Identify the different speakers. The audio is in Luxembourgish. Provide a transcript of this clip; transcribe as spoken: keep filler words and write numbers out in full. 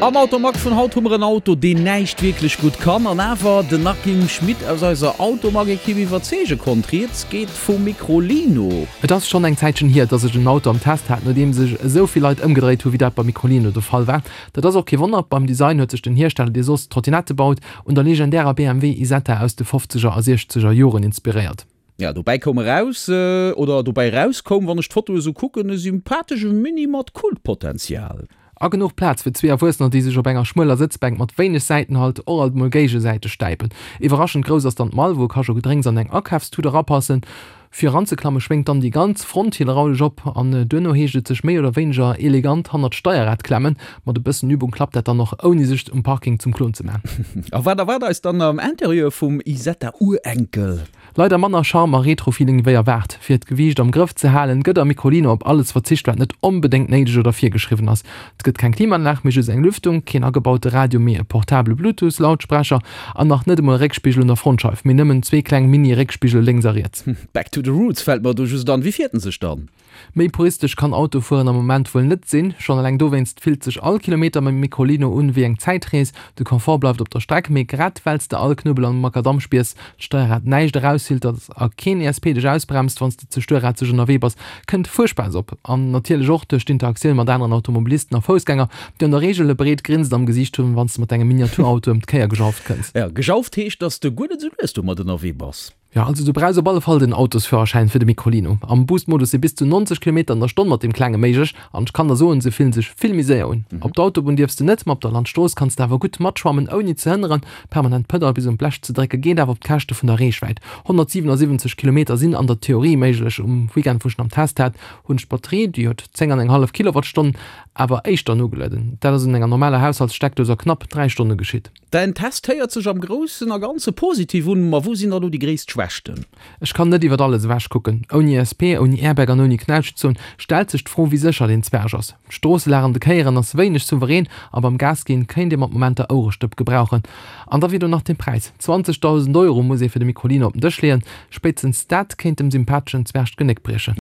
Speaker 1: Am Automag vun haut hu mer en Auto, deen näischt wierklech gutt kann an awer den Akim Schmit aus eiser Automag-Ekipp iwwerzeege konnt. Rieds geet vum Microlino.
Speaker 2: Et ass schonn eng Zäitchen hier, dass ech en Auto am Test hat, no deem sech esou vill Leit ëmgedréit hu wéi dat beim Microlino de Fall war. Dat ass och kee Wonner, beim Design huet sech den Hiersteller, dee soss Trottinette baut, un der legendärer B M W Isetta aus de fofzeger a siechzeger Joren inspiréiert.
Speaker 1: Ja, dobäi koum eraus, oder dobäi erauskoum, wann ech d'Foto esou kucken, e sympathesche Mini mat Kultpotenzial.
Speaker 2: A genuch Plaz fir zwee Erwuessener, déi sech op enger schmueler Sëtzbänk mat wéineg Säitenhalt och alt mol géigesäiteg stäipen. Iwwerraschend grouss ass dann d'Mall, wou ka scho Gedrénks an eng Akafstut erapassen. Fir eranzeklamme schwéngt dann déi ganz Front hydraulesch op an duerno heescht et sech méi oder wéineger elegant hannert d'Steierrad klemmen. Mat e bëssen Übung klappt dat dann och ouni sech um Parking zum Klon ze man.
Speaker 1: A wat erwaart eis dann am Interieur vum Isetta-Urenkel?
Speaker 2: Leider manner Charme a Retro-Feeling wéi erwaart. Fir d'Gewiicht am Grëff ze halen, gëtt am Microlino op alles verzicht, wat net onbedéngt néideg oder virgeschriwwen ass. Et gëtt keng Klimaanlag, mee just eng Lüftung, keen agebaute Radio, mee e portabele Bluetooth-Lautsprecher an nach net emol e Réckspigel un der Frontscheif, mee nëmmen zwee kleng Mini-Réckspigele lénks a riets.
Speaker 1: Back to the roots fält mer do just an. Wéi fiert en sech dann?
Speaker 2: Méi puristesch kann Autofueren am Moment wuel net sinn. Schonn eleng dowéinst fillt sech all Kilometer mam Microlino un wéi eng Zäitrees. De Confort bleift op der Streck, mee grad well s de all Knubbel am Makadamm spiers, d'Steierrad näischt eraushiltert a keen E S P dech ausbremst, wann s de ze stuerrazeg ënnerwee bass, kënnt Fuerspaass op. An natierlech och duerch d'Interaktioun mat aneren Automobilisten a Foussgänger, déi an der Reegel e breet Grinsen am Gesiicht hunn, wann s de mat dengem Miniaturauto ëm d'Kéier gejauft kënns.
Speaker 1: Jo, gejauft heescht, dass de guer net esou lues domat ënnerwee bass.
Speaker 2: Jo, also du brauchs op alle Fall den Autosführerschäin fir de Microlino. Am Boost-Modus si bis zu neunzeg Kilometer an der Stonn mat deem klenge méiglech an ech kann der soen, se fillen sech vill méi séier un. Op der Autobunn dierfs de net, ma op der Landstrooss kanns de awer gutt matschwammen ouni ze hënneren. Permanent d'Pedall bis un d'Blech ze drécke geet awer op d'Käschte vun der Reechwäit. honnertsiwenasiwwenzeg Kilometer sinn an der Theorie méiglech. Um Weekend wou ech en am Test hat, hunn ech d'Batterie, déi huet zéng an eng hallef Kilowattstonnen, awer éischter nogelueden. Dat ass un enger normaler Haushaltssteckdous a knapp dräi Stonne geschitt.
Speaker 1: Däin Test héiert sech am Groussen a Ganze positiv un, ma wou sinn da lo déi gréisst Schwächten?
Speaker 2: Ech kann net iwwert alles ewech kucken. Ouni E S P, ouni Airbag an ouni Knautschzon stellt sech d'Fro wéi sécher deen Zwerg ass. D'Stroosselag an de Kéieren ass wéineg souverän a beim Gas ginn kéint ee mat Momenter Ouerestëpp gebrauchen. An da wier do nach den Präis. zwanzegdausend Euro muss ee fir de Microlino op den Dësch leeën. Spéitstens dat kéint dem sympatheschen Zwerg d'Genéck briechen.